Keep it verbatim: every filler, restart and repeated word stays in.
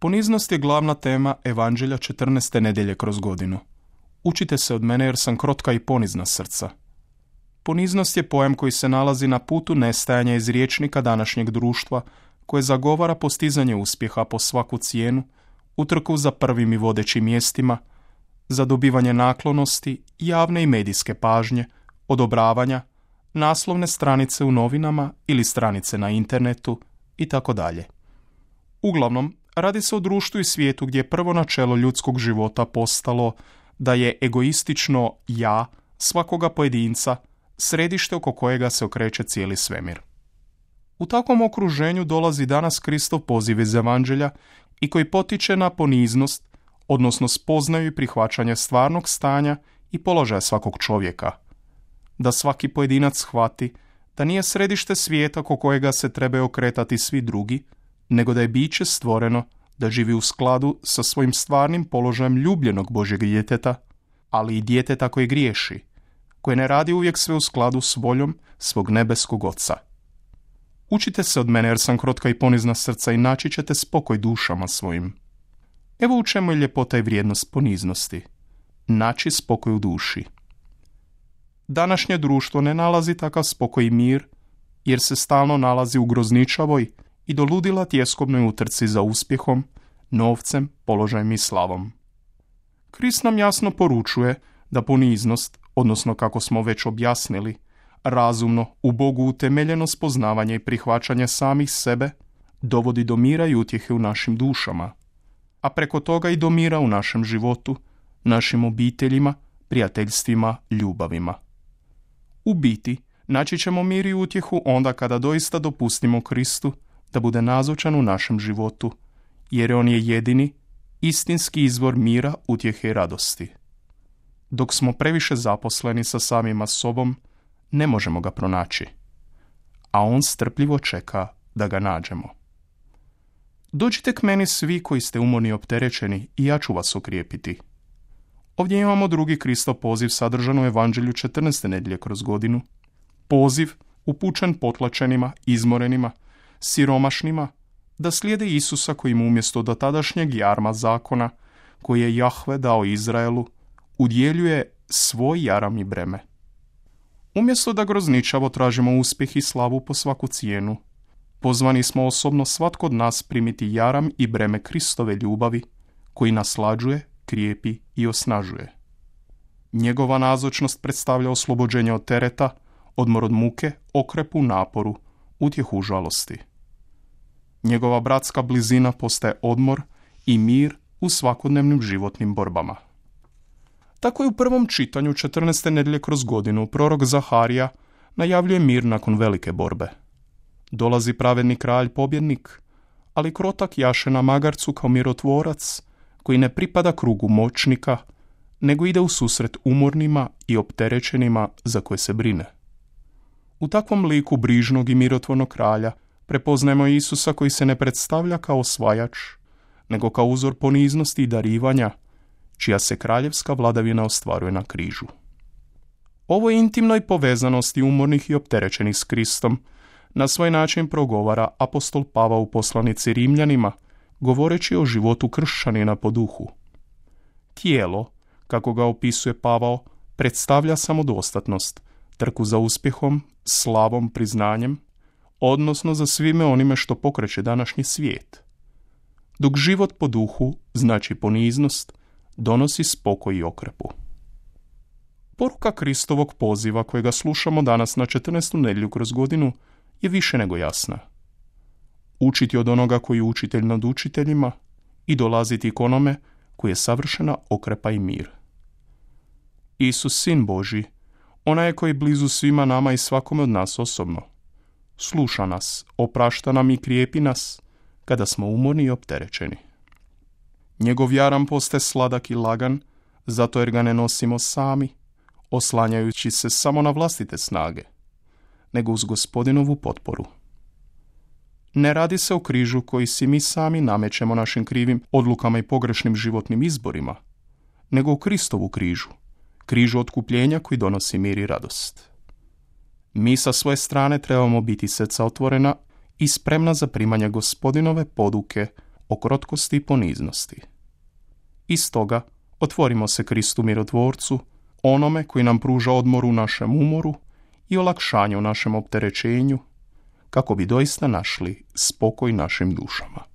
Poniznost je glavna tema Evanđelja četrnaeste nedjelje kroz godinu. Učite se od mene jer sam krotka i ponizna srca. Poniznost je pojam koji se nalazi na putu nestajanja iz rječnika današnjeg društva koje zagovara postizanje uspjeha po svaku cijenu, utrku za prvim i vodećim mjestima, za dobivanje naklonosti, javne i medijske pažnje, odobravanja, naslovne stranice u novinama ili stranice na internetu i tako dalje. Uglavnom, radi se o društvu i svijetu gdje je prvo načelo ljudskog života postalo da je egoistično ja svakoga pojedinca središte oko kojega se okreće cijeli svemir. U takvom okruženju dolazi danas Kristov poziv iz Evanđelja i koji potiče na poniznost, odnosno spoznaju i prihvaćanje stvarnog stanja i položaja svakog čovjeka. Da svaki pojedinac shvati da nije središte svijeta oko kojega se trebaju okretati svi drugi, nego da je biće stvoreno da živi u skladu sa svojim stvarnim položajem ljubljenog Božjeg djeteta, ali i djeteta koje griješi, koje ne radi uvijek sve u skladu s voljom svog nebeskog Oca. Učite se od mene jer sam krotka i ponizna srca i naći ćete spokoj dušama svojim. Evo u čemu je ljepota i vrijednost poniznosti. Naći spokoj u duši. Današnje društvo ne nalazi takav spokoj i mir, jer se stalno nalazi u grozničavoj i do ludila tjeskobnoj utrci za uspjehom, novcem, položajem i slavom. Krist nam jasno poručuje da poniznost, odnosno kako smo već objasnili, razumno, u Bogu utemeljeno spoznavanje i prihvaćanje samih sebe, dovodi do mira i utjehe u našim dušama, a preko toga i do mira u našem životu, našim obiteljima, prijateljstvima, ljubavima. U biti, naći ćemo mir i utjehu onda kada doista dopustimo Kristu da bude nazočan u našem životu, jer on je jedini, istinski izvor mira, utjehe i radosti. Dok smo previše zaposleni sa samima sobom, ne možemo ga pronaći, a on strpljivo čeka da ga nađemo. Dođite k meni svi koji ste umorni i opterećeni i ja ću vas okrijepiti. Ovdje imamo drugi Kristov poziv sadržan u Evanđelju četrnaeste nedjelje kroz godinu. Poziv upućen potlačenima, izmorenima, siromašnima, da slijede Isusa koji im umjesto dotadašnjeg jarma zakona, koji je Jahve dao Izraelu, udjeljuje svoj jaram i breme. Umjesto da grozničavo tražimo uspjeh i slavu po svaku cijenu, pozvani smo osobno svatko od nas primiti jaram i breme Kristove ljubavi, koji naslađuje, krijepi i osnažuje. Njegova nazočnost predstavlja oslobođenje od tereta, odmor od muke, okrepu naporu, utjehu žalosti. Njegova bratska blizina postaje odmor i mir u svakodnevnim životnim borbama. Tako je u prvom čitanju četrnaeste nedjelje kroz godinu prorok Zaharija najavljuje mir nakon velike borbe. Dolazi pravedni kralj pobjednik, ali krotak jaše na magarcu kao mirotvorac koji ne pripada krugu moćnika, nego ide u susret umornima i opterećenima za koje se brine. U takvom liku brižnog i mirotvornog kralja prepoznajemo Isusa koji se ne predstavlja kao osvajač, nego kao uzor poniznosti i darivanja, čija se kraljevska vladavina ostvaruje na križu. Ovoj intimnoj povezanosti umornih i opterećenih s Kristom na svoj način progovara apostol Pavao u poslanici Rimljanima, govoreći o životu kršćanina po duhu. Tijelo, kako ga opisuje Pavao, predstavlja samodostatnost, trku za uspjehom, slavom, priznanjem, odnosno za svime onime što pokreće današnji svijet. Dok život po duhu znači poniznost, donosi spokoj i okrepu. Poruka Kristovog poziva kojega slušamo danas na četrnaestu nedjelju kroz godinu je više nego jasna. Učiti od onoga koji je učitelj nad učiteljima i dolaziti k onome koji je savršena okrepa i mir. Isus, Sin Božji, onaj je koji je blizu svima nama i svakome od nas osobno. Sluša nas, oprašta nam i krijepi nas kada smo umorni i opterećeni. Njegov jaram postaje sladak i lagan, zato jer ga ne nosimo sami, oslanjajući se samo na vlastite snage, nego uz Gospodinovu potporu. Ne radi se o križu koji si mi sami namećemo našim krivim odlukama i pogrešnim životnim izborima, nego o Kristovu križu, križu otkupljenja koji donosi mir i radost. Mi sa svoje strane trebamo biti srca otvorena i spremna za primanje Gospodinove poduke o krotkosti i poniznosti. I stoga otvorimo se Kristu mirotvorcu, onome koji nam pruža odmor u našem umoru i olakšanje u našem opterećenju, kako bi doista našli spokoj našim dušama.